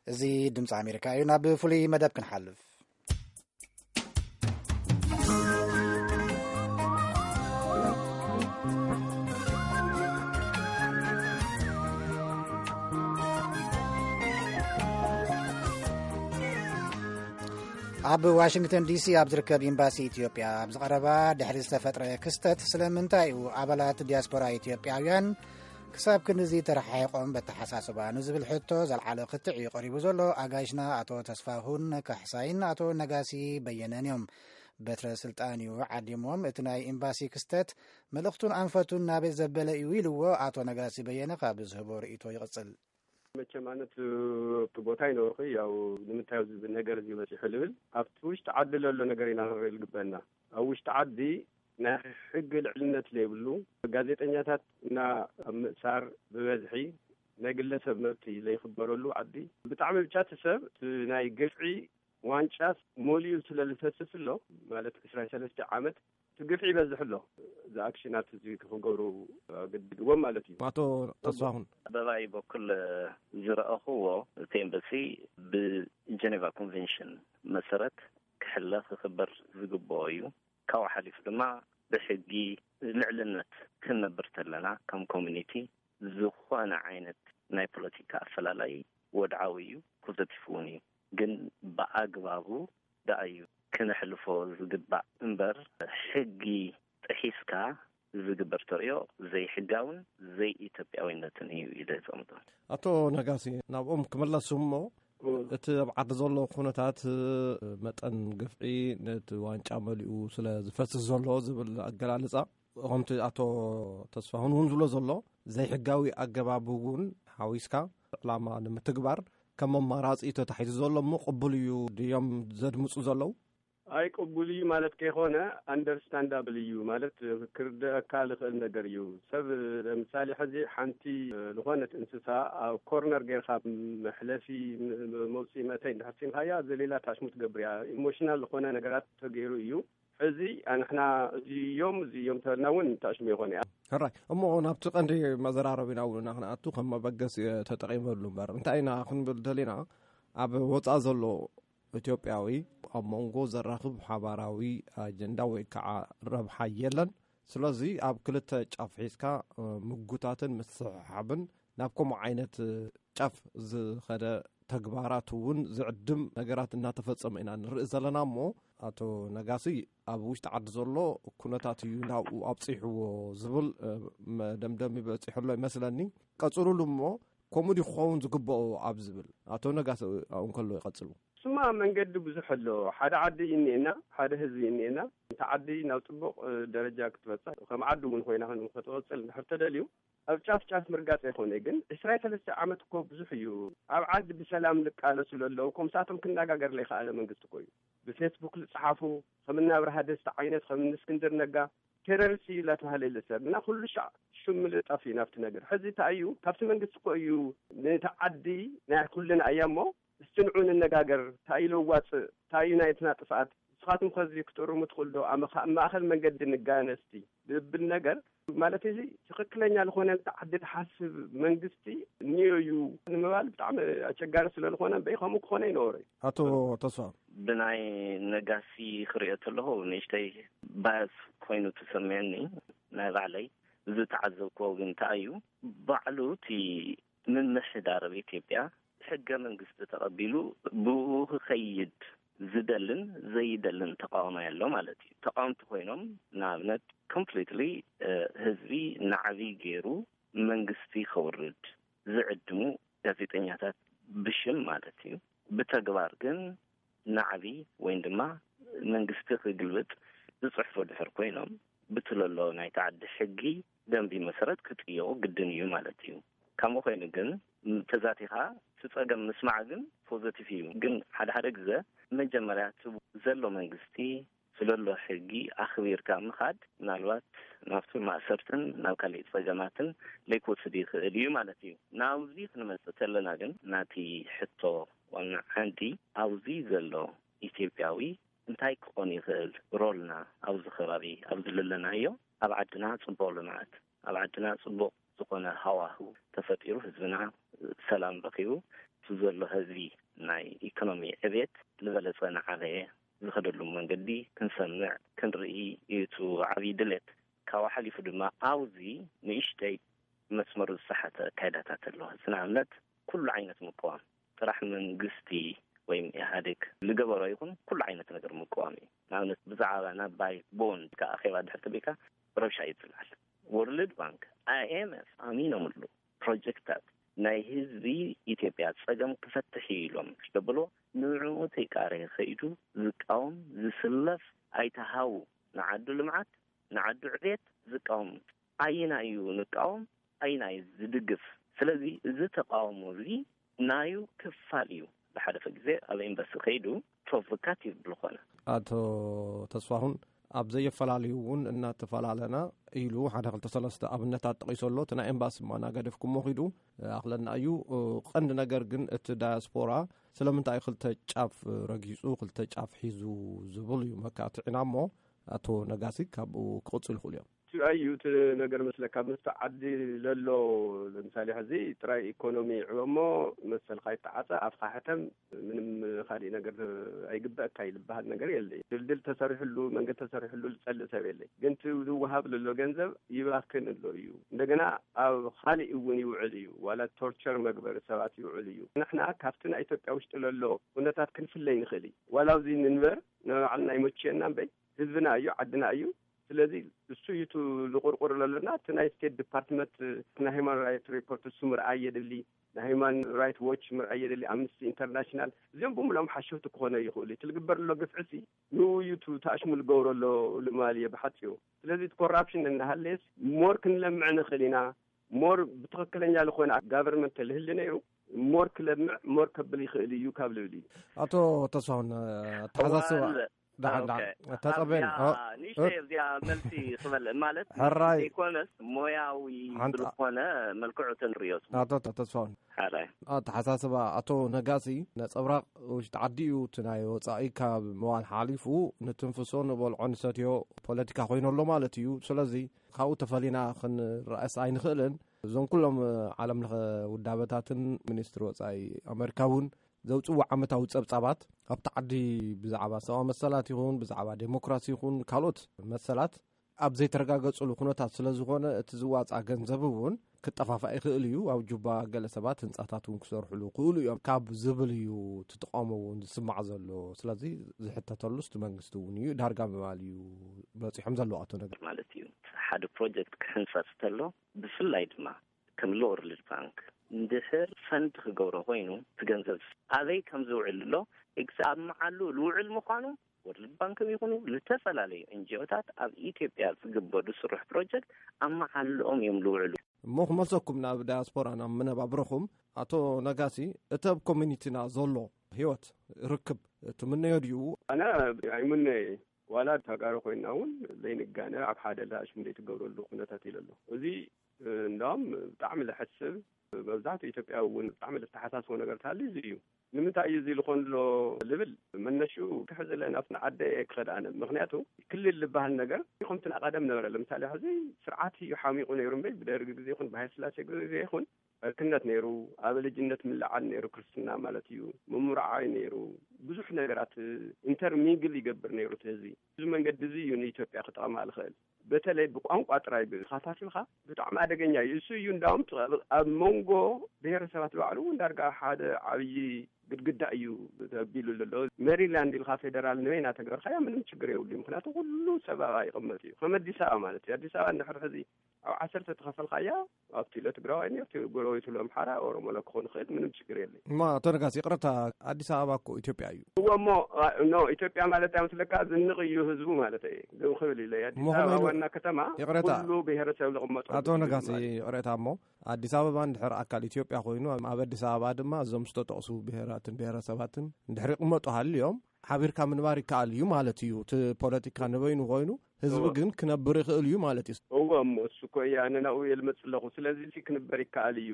እዚ ድምፂ ኣሜሪካ እዩ። ናብ ፍሉይ መደብ ክንሓልፍ። ኣብ ዋሽንግተን ዲሲ ኣብ ዝርከብ ኤምባሲ ኢትዮጵያ ኣብ ዝቐረባ ድሕሪ ዝተፈጥረ ክስተት፣ ስለምንታይ እዩ ኣባላት ዲያስፖራ ኢትዮጵያውያን ክሳብ ክንድዚ ተረሓሒቖም በተሓሳስባ ንዝብል ሕቶ ዘልዓለ ክትዕ እዩ ቀሪቡ ዘሎ። ኣጋይሽና ኣቶ ተስፋሁን ካሕሳይን ኣቶ ነጋሲ በየነን እዮም። በትረ ስልጣን እዩ ዓዲሞም። እቲ ናይ ኤምባሲ ክስተት መልእኽቱን ኣንፈቱን ናበይ ዘበለ እዩ ኢልዎ ኣቶ ነጋሲ በየነ ካብ ዝህቦ ርእይቶ ይቕጽል። መቸም ኣነት ኣብቲ ቦታ ይነበርኩ። ያው ንምንታይ ኣብዚ ነገር እዚ በፂሑ ልብል ኣብቲ ውሽጢ ዓዲ ለሎ ነገር ኢና ክንርኢ ልግበና። ኣብ ውሽጢ ዓዲ ናይ ሕጊ ልዕልነት ዘይብሉ፣ ጋዜጠኛታት እና ኣብ ምእሳር ብበዝሒ ናይ ግለሰብ መብቲ ዘይኽበረሉ ዓዲ፣ ብጣዕሚ ብጫ እቲ ሰብ እቲ ናይ ግፍዒ ዋንጫ ሞሊኡ ስለ ዝፈስስ ኣሎ፣ ማለት ዕስራን ሰለስተ ዓመት እቲ ግፍዒ ይበዝሕ ኣሎ። እዚ ኣክሽናት እዚ ክገብሩ ኣገድድዎም ማለት እዩ። ኣቶ ተስፋሁን። በባይ በኩል ዝረኣኹዎ፣ እቲ ኤምባሲ ብጀኔቫ ኮንቬንሽን መሰረት ክሕለ ክኽበር ዝግብኦ እዩ። ካብኡ ሓሊፉ ድማ ብሕጊ ልዕልነት ክንነብር ተለና ከም ኮሚኒቲ ዝኾነ ዓይነት ናይ ፖለቲካ ኣፈላላይ ወድዓዊ እዩ፣ ፖዘቲቭ እውን እዩ። ግን ብኣግባቡ ደኣ እዩ ክነሕልፎ ዝግባእ እምበር፣ ሕጊ ጥሒስካ ዝግበር ተርእዮ ዘይሕጋውን ዘይኢትዮጵያዊነትን እዩ ኢለ ዘቐምጦ። ኣቶ ነጋሲ፣ ናብኦም ክመለሱ እሞ፣ እቲ ኣብ ዓዲ ዘሎ ኩነታት፣ መጠን ግፍዒ፣ ነቲ ዋንጫ መሊኡ ስለ ዝፈስስ ዘሎ ዝብል ኣገላልጻ፣ ከምቲ ኣቶ ተስፋሁን እውን ዝብሎ ዘሎ፣ ዘይሕጋዊ ኣገባብ እውን ሓዊስካ ዕላማ ንምትግባር ከም ኣማራጺ ተታሒዙ ዘሎ እሞ ቅቡል እዩ ድዮም ዘድምጹ ዘለዉ? ኣይ ቅቡል እዩ ማለት ከይኮነ፣ ኣንደርስታንዳብል እዩ ማለት ክርደኣካ ልኽእል ነገር እዩ። ሰብ ለምሳሌ ሕዚ ሓንቲ ዝኾነት እንስሳ ኣብ ኮርነር ጌርካ መሕለፊ ም-፣ ም-፣ መውፅኢ መእተይ እንድሕር ሲምካያ ዘሌላ ታሽሙ ትገብር እያ። ኢሞሽናል ዝኾነ ነገራት ተገይሩ እዩ። ሕዚ ኣንሕና እዚዮም እዚዮም ተበልና እውን ታሽሙ ይኾን እያ። ሕራይ እሞ ናብቲ ቀንዲ መዘራረቢና እውን ክንኣቱ ከም መበገሲ ተጠቒመሉ እምበር እንታይ ኢና ክንብል ደሊና፣ ኣብ ወፃእ ዘሎ ኢትዮጵያዊ ኣብ መንጎ ዘራኽብ ሓባራዊ ኣጀንዳ ወይ ከዓ ረብሓ የለን። ስለዚ ኣብ ክልተ ጫፍ ሒዝካ ምጉታትን ምስሕሓብን ናብ ከምኡ ዓይነት ጫፍ ዝኸደ ተግባራት እውን ዝዕድም ነገራት እናተፈጸመ ኢና ንርኢ ዘለና እሞ፣ ኣቶ ነጋሲ ኣብ ውሽጢ ዓዲ ዘሎ ኩነታት እዩ ናብኡ ኣብፂሕዎ ዝብል መደምደሚ በፂሑ ኣሎ ይመስለኒ። ቀፅሉሉ እሞ፣ ከምኡ ድዩ ክኸውን ዝግብኦ ኣብ ዝብል፣ ኣቶ ነጋሲ ኣብኡ እንከሎ ይቐጽሉ። ስማ መንገዲ ብዙሕ ኣሎ። ሓደ ዓዲ እዩ እኒኤና፣ ሓደ ህዝቢ እዩ እኒኤና። እታ ዓዲ ናብ ጽቡቕ ደረጃ ክትበጽሕ፣ ከም ዓዲ እውን ኮይና ክትቕጽል እንድሕር ተደልዩ፣ ኣብ ጫፍ ጫፍ ምርጋጽ ኣይኮነ። ግን ዕስራን ሰለስተ ዓመት እኮ ብዙሕ እዩ። ኣብ ዓዲ ብሰላም ልቃለሱ ለለዉ፣ ከምሳቶም ክነጋገር ለይከኣለ መንግስቲ እኮ እዩ። ብፌስቡክ ልጽሓፉ፣ ከም እናብርሃ ደስታ ዓይነት፣ ከም እስክንድር ነጋ፣ ቴረሪስት እዩ እናተባህለ ይልሰብ እና ኩሉ ሻዕ ሽም ምልጣፍ እዩ ናብቲ ነገር። ሕዚ እንታይ እዩ? ካብቲ መንግስቲ እኮ እዩ ነቲ ዓዲ ናይ ኩልና እያ እሞ፣ እስቲ ንዑ ንነጋገር፣ እንታይ እዩ ለዋፅእ፣ እንታይ እዩ ናይትና ጥፍኣት፣ ንስኻትኩም ከዚ ክትእርሙ ትኽእሉ ዶ? ኣብ መኻ-፣ ኣብ ማእኸል መንገዲ ንጋነስቲ ዝብል ነገር ማለት እዚ ትኽክለኛ ዝኾነ ነቲ ዓዲ ዝሓስብ መንግስቲ እኒኦ እዩ ንምባል ብጣዕሚ ኣቸጋሪ ስለ ዝኾነ፣ እምበይ ከምኡ ክኾነ ይነበሮ እዩ። ኣቶ ተስፋ። ብናይ ነጋሲ ክሪኦ ተለኹ ንእሽተይ ባያስ ኮይኑ ተሰሚዑኒ። ናይ ባዕለይ ዝተዓዘብክዎ ግን እንታይ እዩ፣ ባዕሉ እቲ ምምሕዳር ኣብ ኢትዮጵያ ሕገ መንግስቲ ተቐቢሉ ብኡ ክኸይድ ዝደልን ዘይደልን ተቃዋማይ ኣሎ ማለት እዩ። ተቃወምቲ ኮይኖም ንኣብነት ኮምፕሊትሊ ህዝቢ ናዕቢ ገይሩ መንግስቲ ከውርድ ዝዕድሙ ጋዜጠኛታት ብሽም ማለት እዩ። ብተግባር ግን ናዕቢ ወይም ድማ መንግስቲ ክግልብጥ ዝፅሕፉ ድሕር ኮይኖም፣ ብቲ ለሎ ናይቲ ዓዲ ሕጊ ደንቢ መሰረት ክጥየቑ ግድን እዩ ማለት እዩ። ከምኡ ኮይኑ ግን ተዛቲኻ እቲ ፀገም ምስማዕ ግን ፖዘቲቭ እዩ። ግን ሓደ ሓደ ግዘ መጀመርያ እቲ ዘሎ መንግስቲ ስለሎ ሕጊ ኣኽቢርካ ምኻድ ምናልባት ናብቲ ማእሰርትን ናብ ካሊእ ፀገማትን ለይክወስድ ይኽእል እዩ ማለት እዩ። ናብዚ ክንመፅእ ተለና ግን ናቲ ሕቶ ዋና ዓንዲ ኣብዚ ዘሎ ኢትዮጵያዊ እንታይ ክኾን ይኽእል ሮልና ኣብዚ ከባቢ ኣብዚ ዘለናዮ ኣብ ዓድና ፅቡቕ ልምዓት ኣብ ዓድና ፅቡቕ ዝኾነ ሃዋህው ተፈጢሩ ህዝብና ሰላም ረኺቡ እቲ ዘሎ ህዝቢ ናይ ኢኮኖሚ ዕቤት ዝበለጸ ናዓበየ ዝኸደሉ መንገዲ ክንሰምዕ ክንርኢ እዩ እቲ ዓብዪ ድሌት። ካብኡ ሓሊፉ ድማ ኣብዚ ንእሽተይ መስመሩ ዝሰሓተ ኣካይዳታት ኣለዎ። ንኣብነት ኩሉ ዓይነት ምቅዋም ጥራሕ መንግስቲ ወይም ኢህኣዴግ ዝገበሮ ይኹን ኩሉ ዓይነት ነገር ምቅዋም እዩ። ንኣብነት ብዛዕባ ናይ ባይ ቦንድ ከኣ ኣኼባ ድሕር ተቢልካ ረብሻ እዩ ዝለዓል። ወርልድ ባንክ፣ ኣይኤምኤፍ ኣሚኖምሉ ፕሮጀክታት ናይ ህዝቢ ኢትዮጵያ ጸገም ክፈትሕ እዩ ኢሎም ደብሎ ንዕኡ ተይቃረ ከይዱ ዝቃወም ዝስለፍ ኣይተሃው ንዓዱ ልምዓት ንዓዱ ዕቤት ዝቃወም ኣይና እዩ ንቃወም ኣይና እዩ ዝድግፍ። ስለዚ እዚ ተቃውሞ እዚ ናዩ ክፋል እዩ። ብሓደፈ ግዜ ኣብ ኤምባሲ ከይዱ ፕሮቮካቲቭ ዝኾነ ኣቶ ተስፋሁን ኣብ ዘየፈላለዩ እውን እናተፈላለና ኢሉ ሓደ ክልተ ሰለስተ ኣብነታት ጠቒሱ ኣሎ። እቲ ናይ ኤምባሲ ማናገደፍኩሞ ኺዱ ኣኽለና እዩ። ቀንዲ ነገር ግን እቲ ዳያስፖራ ስለምንታይ ክልተ ጫፍ ረጊጹ ክልተ ጫፍ ሒዙ ዝብል እዩ መካትዕና እሞ ኣቶ ነጋሲ ካብኡ ክቕጽሉ ይኽእሉ እዮም። ትብኣይ እዩ እቲ ነገር መስለካ። ምስቲ ዓዲ ለሎ ለምሳሌ ሕዚ ጥራይ ኢኮኖሚ ይዕበ እሞ መሰልካ ይተዓፀ፣ ኣፍካ ሕተም፣ ምንም ካሊእ ነገር ኣይግበአካ ይልበሃል ነገር የለይ። ድልድል ተሰሪሕሉ መንገድ ተሰሪሕሉ ዝፀልእ ሰብ የለይ። ግን እቲ ዝወሃብ ለሎ ገንዘብ ይባክን ኣሎ እዩ። እንደገና ኣብ ካሊእ እውን ይውዕል እዩ። ዋላ ቶርቸር መግበሪ ሰባት ይውዕል እዩ። ንሕና ካብቲ ናይ ኢትዮጵያ ውሽጢ ለሎ ኩነታት ክንፍለይ ንኽእል እዩ። ዋላ ኣብዚ ንንበር ንባዕልና ይመችየና እምበይ ህዝብና እዩ ዓድና እዩ። ስለዚ እሱ እዩ እቲ ዝቁርቁር ለሎና። እቲ ናይ ስቴት ዲፓርትመንት ናይ ሂማን ራይት ሪፖርት እሱ ምርኣይ የድሊ፣ ናይ ሂማን ራይት ዎች ምርኣይ የድሊ፣ ኣምነስቲ ኢንተርናሽናል፣ እዚኦም ብምሎም ሓሸውቲ ክኾነ ይኽእሉ። እቲ ዝግበር ዘሎ ግፍዕሲ ንኡ እዩ እቲ ተኣሽሙ ዝገብሮ ኣሎ ልማል እየ ብሓፂሩ። ስለዚ እቲ ኮራፕሽን እንዳሃለየስ ሞር ክንለምዕ ንኽእል ኢና። ሞር ብትኽክለኛ ዝኾነ ጋቨርንመንት ተልህሊ ነይሩ ሞር ክለምዕ ሞር ከብል ይኽእል እዩ ካብ ልብል እዩ። ኣቶ ተስፋሁን ኣተሓሳስባ ተፀበን ንእሽተይ እዚኣ መልሲ ክበልእ ማለት ሕራይ ዘይኮነስ ሞያዊ ዝኾነ መልክዑ ተንሪኦ። ኣቶ ተስፋሁን ኣተሓሳስባ ኣቶ ነጋሲ ነፀብራቕ ውሽጢ ዓዲ እዩ። እቲ ናይ ወፃኢ ካብ ምባል ሓሊፉ ንትንፍሶ ንበልዖ ንሰትዮ ፖለቲካ ኮይኑ ኣሎ ማለት እዩ። ስለዚ ካብኡ ተፈሊና ክንረኣስ ኣይንኽእልን። እዞም ኩሎም ዓለም ለኸ ውዳበታትን ሚኒስትሪ ወፃኢ ኣሜሪካ እውን ዘውፅዎ ዓመታዊ ፀብፃባት ኣብቲ ዓዲ ብዛዕባ ሰብኣዊ መሰላት ይኹን ብዛዕባ ዴሞክራሲ ይኹን ካልኦት መሰላት ኣብ ዘይተረጋገፅሉ ኩነታት ስለ ዝኾነ እቲ ዝዋፃ ገንዘብ እውን ክጠፋፋእ ይኽእል እዩ። ኣብ ጁባ ገለ ሰባት ህንፃታት እውን ክሰርሕሉ ክእሉ እዮም ካብ ዝብል እዩ እቲ ተቃውሞ እውን ዝስማዕ ዘሎ። ስለዚ ዝሕተተሉ እቲ መንግስቲ እውን እዩ ዳርጋ ምባል እዩ በፂሖም ዘለዉ ኣቶ ነገር ማለት እዩ። ሓደ ፕሮጀክት ክሕንፀፅ ተሎ ብፍላይ ድማ ከም ሎወርልድ ባንክ እንድሕር ፈንድ ክገብሮ ኮይኑ እቲ ገንዘብ ኣበይ ከም ዝውዕል ኣሎ ኤግዛም መዓሉ ዝውዕል ምዃኑ ወርልድ ባንክም ይኹኑ ዝተፈላለዩ ኤንጂኦታት ኣብ ኢትዮጵያ ዝግበሩ ስሩሕ ፕሮጀክት ኣብ መዓልኦም እዮም ዝውዕሉ። እሞ ክመልሰኩም ናብ ዳያስፖራ ናብ መነባብረኹም ኣቶ ነጋሲ እቲ ኣብ ኮሚኒቲና ዘሎ ህይወት ርክብ ትምነዮ ድዩ? ኣነ ኣይምነየ ዋላ ተጋሩ ኮይና እውን ዘይንጋነ ኣብ ሓደ ላሽም ዘይትገብረሉ ኩነታት ኢለ ኣሎ። እዚ እንዳም ብጣዕሚ ለሐስብ መብዛሕትኡ ኢትዮጵያ እውን ብጣዕሚ ለተሓሳስቦ ነገር ታሊ እዚ እዩ። ንምንታይ እዩ እዚ ዝኾን ኣሎ ልብል መነሽኡ ክሕዝለ ናብቲ ንዓደ ክኸድ ኣነ ምክንያቱ ክልል ዝበሃል ነገር ከምቲ ናቀደም ነበረ። ለምሳሌ ሕዚ ስርዓት እዩ ሓሚቁ ነይሩ እምበይ ብደርጊ ግዜ ይኹን ብሃይለ ስላሴ ግዜ ይኹን ዕርክነት ነይሩ፣ ኣብ ልጅነት ምልዓል ነይሩ፣ ክርስትና ማለት እዩ፣ ምምርዓይ ነይሩ፣ ብዙሕ ነገራት ኢንተርሚንግል ይገብር ነይሩ እቲ ህዝቢ። እዚ መንገዲ እዚ እዩ ንኢትዮጵያ ክጠቕማ ዝኽእል። በተለይ ብቋንቋ ጥራይ ብኻታቲልካ ብጣዕሚ ኣደገኛ እዩ። እሱ እዩ እንዳውም ኣብ መንጎ ብሔረሰባት ባዕሉ እውን ዳርጋ ሓደ ዓብዪ ግድግዳ እዩ ተቢሉ ዘሎ። ሜሪላንድ ኢልካ ፌደራል ንበይና ተገበርካያ ምንም ችግር የብሉ። ምክንያቱ ኩሉ ሰባባ ይቕመጥ እዩ ከም ኣዲስ ኣበባ ማለት እዩ። ኣዲስ ኣበባ እንድሕር ሕዚ ኣብ ዓሰርተ ተኸፈልካያ ኣብቲ ኢለ ትግራዋይ ኔርቲ ጎረቤቱ ለምሓራ ኦሮሞ ለክኾን ይኽእል ምንም ችግር የለይ። እማ ኣቶ ነጋሲ ይቕረታ ኣዲስ ኣበባ እኮ ኢትዮጵያ እዩ። እወ እሞ ኖ ኢትዮጵያ ማለት ኣይመስለካ ዝንቕ እዩ ህዝቡ ማለት እየ። ግን ክብል ኢለ ኣዲስ ኣበባ ዋና ከተማ ይቕረታ ኩሉ ብሄረሰብ ዝቕመጡ ኣቶ ነጋሲ ይቕረታ እሞ ኣዲስ ኣበባ እንድሕር ኣካል ኢትዮጵያ ኮይኑ ኣብ ኣዲስ ኣበባ ድማ እዞም ዝተጠቕሱ ብሄራትን ብሄረሰባትን እንድሕር ይቕመጡ ሃልዮም ሓቢርካ ምንባር ይከኣል እዩ ማለት እዩ። እቲ ፖለቲካ ንበይኑ ኮይኑ ህዝቢ ግን ክነብር ይኽእል እዩ ማለት እዩ። እወ እሞ እሱ እኮ እየ ኣነ ናብኡ እየ ልመጽእ ኣለኹ። ስለዚ እዚ ክንበር ይከኣል እዩ።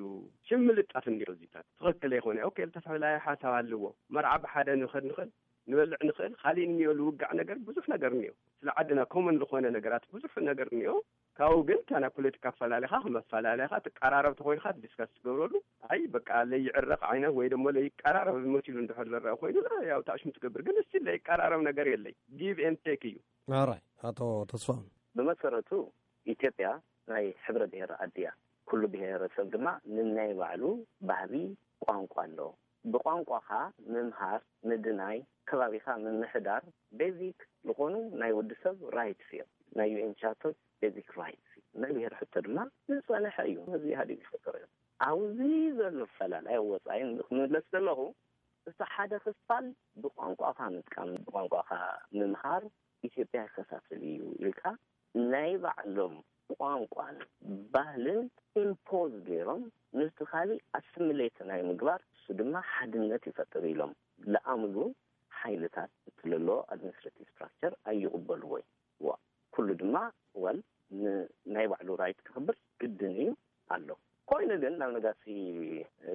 ሽም ምልጣፍ እንዲዮ እዚታት ትኽክል ኣይኮነ። ኦኬ፣ ዝተፈላለየ ሓሳብ ኣለዎ። መርዓ ብሓደ ንኸድ ንኽእል ንበልዕ ንኽእል፣ ካሊእ እኒኦ ዝውጋዕ ነገር ብዙሕ ነገር እኒኦ። ስለ ዓድና ኮመን ዝኾነ ነገራት ብዙሕ ነገር እኒኦ። ካብኡ ግን እታ ናይ ፖለቲካ ኣፈላላይኻ ከም ኣፈላላይኻ ትቀራረብ ተኾይንካ ዲስካስ ትገብረሉ። ኣይ በቃ ለይዕረቕ ዓይነት ወይ ደሞ ለይቀራረብ መሲሉ እንድሕር ዝረአ ኮይኑ ያው ታሽሙ ትገብር። ግን እስቲ ለይቀራረብ ነገር የለይ። ጊቭ ኤንድ ቴክ እዩ። ኣራይ ኣቶ ተስፋሁን። ብመሰረቱ ኢትዮጵያ ናይ ሕብረ ብሔር ኣድያ፣ ኩሉ ብሔረሰብ ድማ ንናይ ባዕሉ ባህሊ፣ ቋንቋ ኣለዎ። ብቋንቋኻ ምምሃር፣ ምድናይ፣ ከባቢኻ ምምሕዳር ቤዚክ ዝኾኑ ናይ ወዲ ሰብ ራይትስ እዮም። ናይ ዩ ኤን ቻርተር ቤዚክ ራይትስ እዩ። ናይ ብሔር ሕቶ ድማ ዝጸንሐ እዩ። ህዝቢ ኢህኣዴግ ዝፈጠሮ እዩ። ኣብዚ ዘሎ ፈላላይ ወጻኢ ንምለስ ዘለኹ፣ እቲ ሓደ ክፋል ብቋንቋኻ ምጥቃም፣ ብቋንቋኻ ምምሃር ኢትዮጵያ ይከፋፍል እዩ ኢልካ ናይ ባዕሎም ቋንቋን ባህልን ኢምፖዝ ገይሮም ነቲ ካሊእ ኣስሚሌት ናይ ምግባር፣ እሱ ድማ ሓድነት ይፈጥር ኢሎም ለኣምሉ ሓይልታት እቲ ለሎ ኣድሚኒስትሬቲቭ ስትራክቸር ኣይቕበልዎይ። ዋ ኩሉ ድማ ወል ናይ ባዕሉ ራይት ክኽብር ግድን እዩ ኣሎ። ኮይኑ ግን ናብ ነጋሲ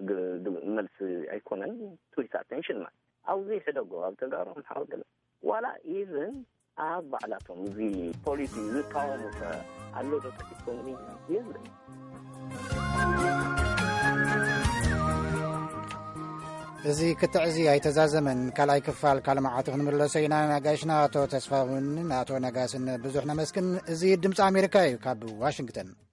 ግ- ግ- መልሲ ኣይኮነን ትዊት ኣቴንሽን ማለት ኣብዚ ሕደጎ ኣብ ተጋሩ ሓወገለ ዋላ ኢቨን ኣብ ባዕላቶም እዚ ፖሊሲ ዝቃወሙ ከ ኣሎ ዶ ተኪትኩም የለን። እዚ ክትዕዚ ኣይተዛዘመን። ካልኣይ ክፋል ካልእ መዓልቲ ክንምለሶ ኢና። ነጋሽና ኣቶ ተስፋሁንን ኣቶ ነጋስን ብዙሕ ነመስግን። እዚ ድምፂ ኣሜሪካ እዩ ካብ ዋሽንግተን።